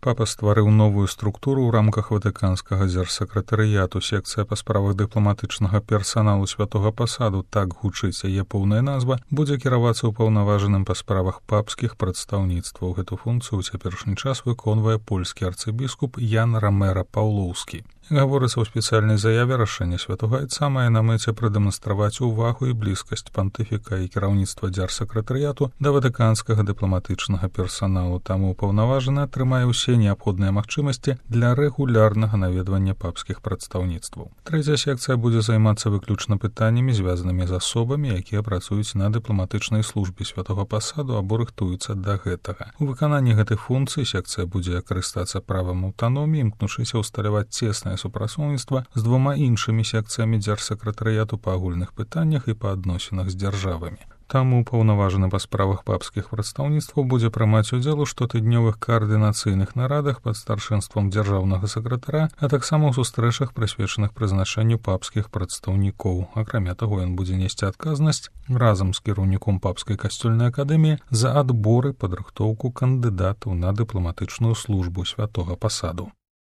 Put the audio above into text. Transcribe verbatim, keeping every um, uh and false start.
Папа стварыў новую структуру ў рамках ватыканскага дзяржсакратарыяту. Секцыя па справах дыпламатычнага персаналу святога пасаду, так гучыць яе поўная назва, будзе кіравацца ўпаўнаважаным па справах папскіх прадстаўніцтваў. Гэту функцыю ў цяперашні час выконвае польскі арцыбіскуп Ян Рамера Паўлоўскі. Гаворыцца ў спецыяльнай заяве, рашэнне святога айца мае на мэце прадэманстраваць увагу і блізкасць пантыфіка і кіраўніцтва дзяржсакратарыяту да ватыканскага дыпламатычнага персаналу. Таму ўпаўнаважаны атрымае ўсе неабходныя магчымасці для рэгулярнага наведвання папскіх прадстаўніцтваў. Трэцяя секцыя будзе займацца выключна пытаннямі, звязанымі з асобамі, якія працуюць на дыпламатычнай службе святога пасаду або рыхтуюцца да гэтага. У выкананні гэтых функцый секцыя будзе карыстацца правам аўтаноміі, імкнучыся ўсталяваць цеснае супрацоўніцтва з двума іншымі секцыямі дзяржсакратарыяту па агульных пытаннях і па адносінах з дзяржавамі. Таму паўнаважаны па справах папскіх прадстаўніцтваў будзе прымаць удзел у штотыднёвых каардынацыйных нарадах пад старшынствам дзяржаўнага сакратара, а таксама ў сустрэчах, прысвечаных прызначэнню папскіх прадстаўнікоў. Акрамя таго, ён будзе несці адказнасць разам з кіраўніком папскай касцёльнай акадэміі за адбор і падрыхтоўку кандыдатаў на дыпламатычную службу святога пасаду.